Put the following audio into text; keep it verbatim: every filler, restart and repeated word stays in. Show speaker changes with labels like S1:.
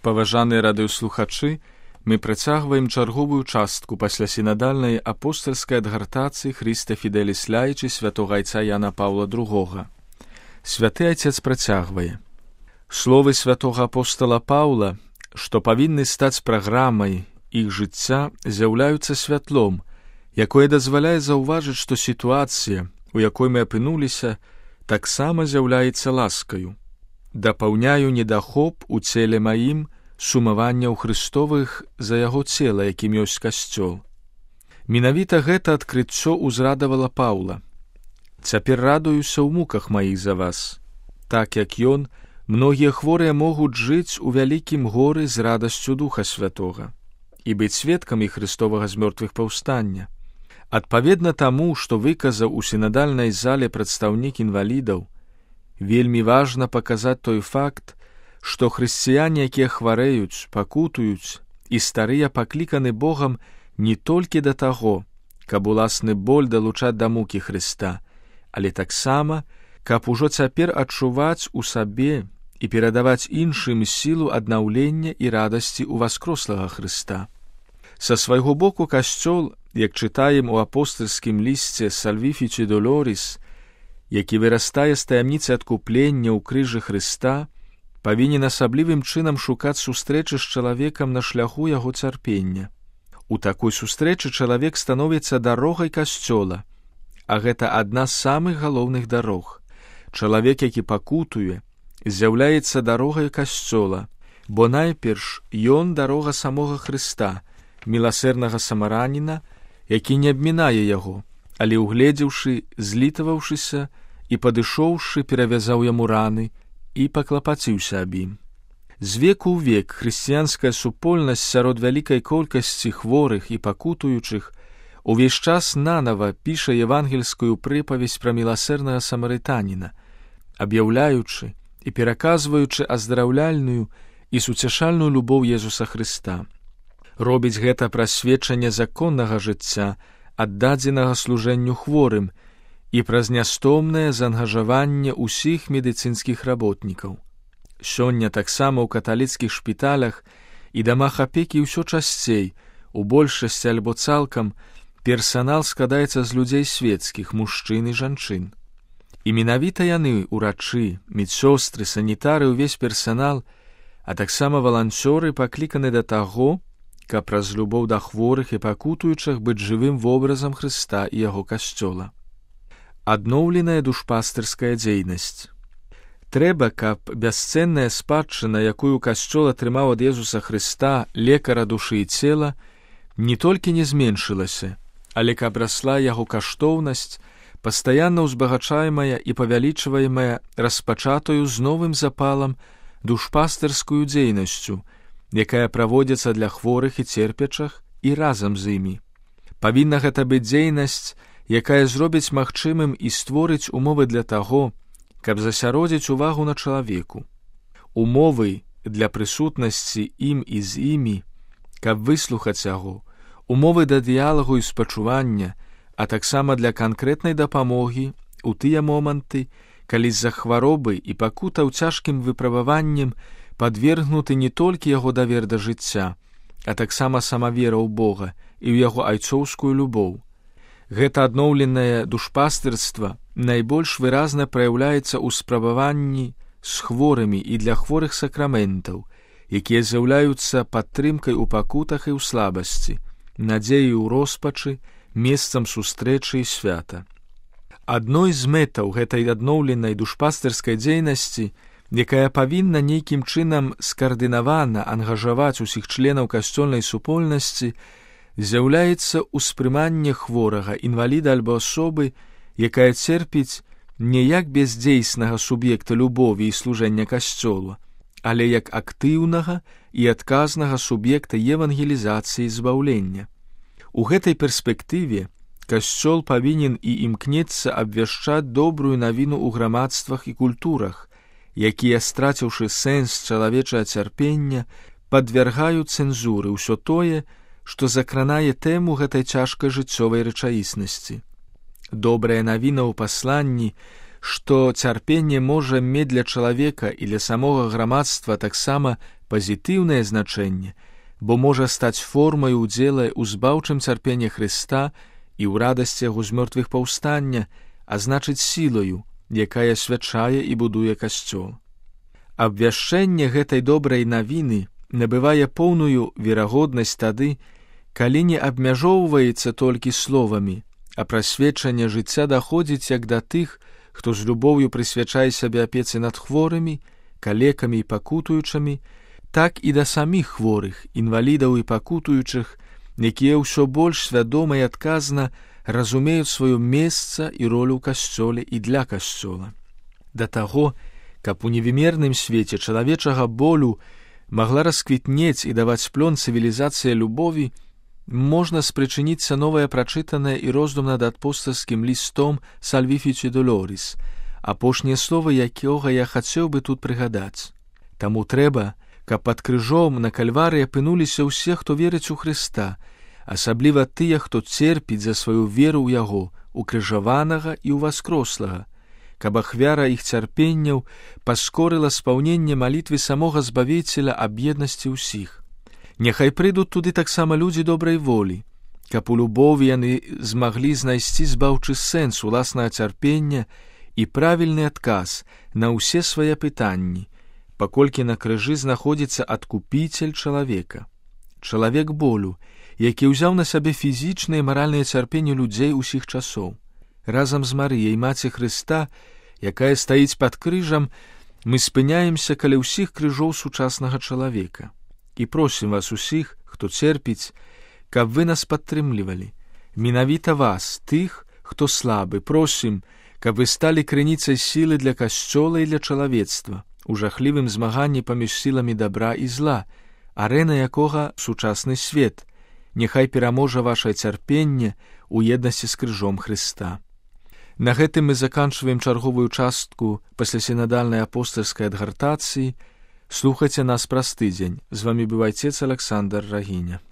S1: Паважаныя радыёслухачы, мы працягваем чарговую частку пасля сінадальнай апостальскай адгартацыі Хрыста Фідэліс Лаічы святога айца Яна Паўла другога. Святы айцец працягвае. Словы святога апостала Паўла, што павінны стаць праграмай іх жыцця, з'яўляюцца святлом, якое дазваляе заўважыць, што сітуацыя, у якой мы апынуліся, таксама з'яўляецца ласкаю. Дапаўняю недахоп у целе маім сумаванняў Христовых за яго цела, якім ёсць касцёл. Менавіта гэта адкрыццё ўзрадавала Паўла. Цяпер радуюся ў муках маіх за вас. Так як ён, многія хворыя могуць жыць у вялікім горы з радасцю Духа Святога і быць сведкамі Христовага з мёртвых паўстання. Адпаведна таму, што выказаў у сінадальнай зале прадстаўнік інвалідаў, вельмі важна паказаць той факт, што хрысціяне, якія хварэюць, пакутуюць і старыя пакліканы Богам не толькі да таго, каб уласны боль далучаць да мукі Хрыста, але таксама, каб ужо цяпер адчуваць у сабе і перадаваць іншым сілу аднаўлення і радасці ў васкрослага Хрыста. Са свайго боку касцёл, як чытаем у апостальскім лісце Сальвіфічі Долоріс, які вырастае з таямніцы адкуплення ў крыжы Хрыста, павінен асаблівым чынам шукаць сустрэчы з чалавекам на шляху яго цярпення. У такой сустрэчы чалавек становіцца дарогай касцёла, а гэта адна з самых галоўных дарог. Чалавек, які пакутуе, з'яўляецца дарогай касцёла, бо найперш ён дарога самога Хрыста, міласэрнага самараніна, які не абмінае яго, але угледзеўшы, злітаваўшыся і падышоўшы, перавязаў яму раны і паклапаціўся аб ім. З веку ў век хрысціянская супольнасць сярод вялікай колькасці хворых і пакутуючых увесь час нанава піша евангельскую прыпавесць пра міласэрнага самарытаніна, аб'яўляючы і пераказваючы аздараўляльную і суцяшальную любоў Езуса Хрыста. Робіць гэта праз сведчанне законнага жыцця, аддадзенага служэнню хворым, і праз нястомнае заангажаванне ўсіх медыцынскіх работнікаў. Сёння таксама ў каталіцкіх шпіталях і дамах апекі ўсё часцей, у большасці альбо цалкам, персанал складаецца з людзей свецкіх, мужчын і жанчын. І менавіта яны, урачы, медсёстры, санітары, увесь персанал, а таксама валанцёры пакліканы да таго, каб праз любоў да хворых і пакутуючых быць жывым вобразам Хрыста і яго касцёла. Адноўленая душпастырская дзейнасць. Трэба, каб бясцэнная спадчына, якую касцёл атрымаў ад Езуса Хрыста, лекара душы і цела, не толькі не зменшылася, але каб расла яго каштоўнасць, пастаянна ўзбагачаемая і павялічваемая распачатую з новым запалам душпастырскую дзейнасцю, якая праводзіцца для хворых і церпячых і разам з імі. Павінна гэта быць дзейнасць, якая зробіць магчымым і створыць умовы для таго, каб засяродзіць увагу на чалавеку. Умовы для прысутнасці ім і з імі, каб выслухаць яго, умовы да дыялагу і спачування, а таксама для канкрэтнай дапамогі у тыя моманты, калі з-за хваробы і пакутаў цяжкім выпрабаваннем падвергнуты не толькі яго давер да жыцця, а таксама сама вера ў Бога і ў яго айцоўскую любоў. Гэта адноўленае душпастырства найбольш выразна праяўляецца ў спрабаванні з хворымі і для хворых сакраментаў, якія з'яўляюцца падтрымкай у пакутах і ў слабасці, надзеі ў роспачы, месцам сустрэчы і свята. Адной з мэтаў гэтай адноўленай душпастырскай дзейнасці, якая павінна нейкім чынам скаардынавана ангажаваць усіх членаў касцёльнай супольнасці, з'яўляецца ўспрыманне хворага, інваліда альбо асобы, якая церпіць не як бездзейснага суб'екта любові і служэння касцёла, але як актыўнага і адказнага суб'екта евангелізацыі і збаўлення. У гэтай перспектыве касцёл павінен і імкнецца абвяшчаць добрую навіну ў грамадствах і культурах, якія, страціўшы сэнс чалавечага цярпення, падвяргаюць цэнзуры ўсё тое, што закранае тэму гэтай цяжкай жыццёвай рэчаіснасці. Добрая навіна ў пасланні, што цярпенне можа мець для чалавека і для самога грамадства таксама пазітыўнае значэнне, бо можа стаць формай удзела ў збаўчым цярпенні Хрыста і ў радасці яго з мёртвых паўстання, а значыць сілаю, якая свячае і будуе касцёл. Абвяшчэнне гэтай добрай навіны набывае поўную верагоднасць тады, калі не абмяжоўваецца толькі словамі, а прасведчанне жыцця даходзіць як да тых, хто з любоўю прысвячае сябе апецы над хворымі, калекамі і пакутуючымі, так і да саміх хворых, інвалідаў і пакутуючых, якія ўсё больш свядома і адказна разумеюць сваё месца і ролю ў касцёле і для касцёла. Да таго, каб у невымерным свеце чалавечага болю магла расквітнець і даваць плён цывілізацыя любові, можна спрычыніцца новае прачытанае і роздум над апостальскім лістом «Salvifici Doloris», апошнія словы якога я хацеў бы тут прыгадаць. Таму трэба, каб пад крыжом на кальварыі апынуліся ўсе, хто верыць у Хрыста, асабліва тыя, хто церпіць за сваю веру ў Яго, укрыжаванага і ўваскрослага, каб ахвяра іх цярпенняў паскорыла спаўненне малітвы самога Збавіцеля аб еднасці ўсіх. Няхай прыйдуць туды таксама людзі добрай волі, каб у любові яны змаглі знайсці збаўчы сэнс уласнага цярпення і правільны адказ на ўсе свае пытанні, паколькі на крыжы знаходзіцца адкупіцель чалавека. Чалавек болю, які ўзяў на сябе фізічнае і маральнае цярпенне людзей усіх часоў. Разам з Марыяй, маці Хрыста, якая стаіць пад крыжам, мы спыняемся каля ўсіх крыжоў сучаснага чалавека. І просім вас усіх, хто церпіць, каб вы нас падтрымлівалі. Менавіта вас, тых, хто слабы, просім, каб вы сталі крыніцай сілы для касцёла і для чалавецтва, у жахлівым змаганні паміж сіламі добра і зла, арэна якога сучасны свет. Няхай пераможа вашае цярпенне у еднасці з крыжом Хрыста. На гэтым мы заканчваем чарговую частку паслясінадальнай апостальскай адгартацыі. Слухайце нас праз тыдзень. З вамі быў айцец Аляксандр Рагіня.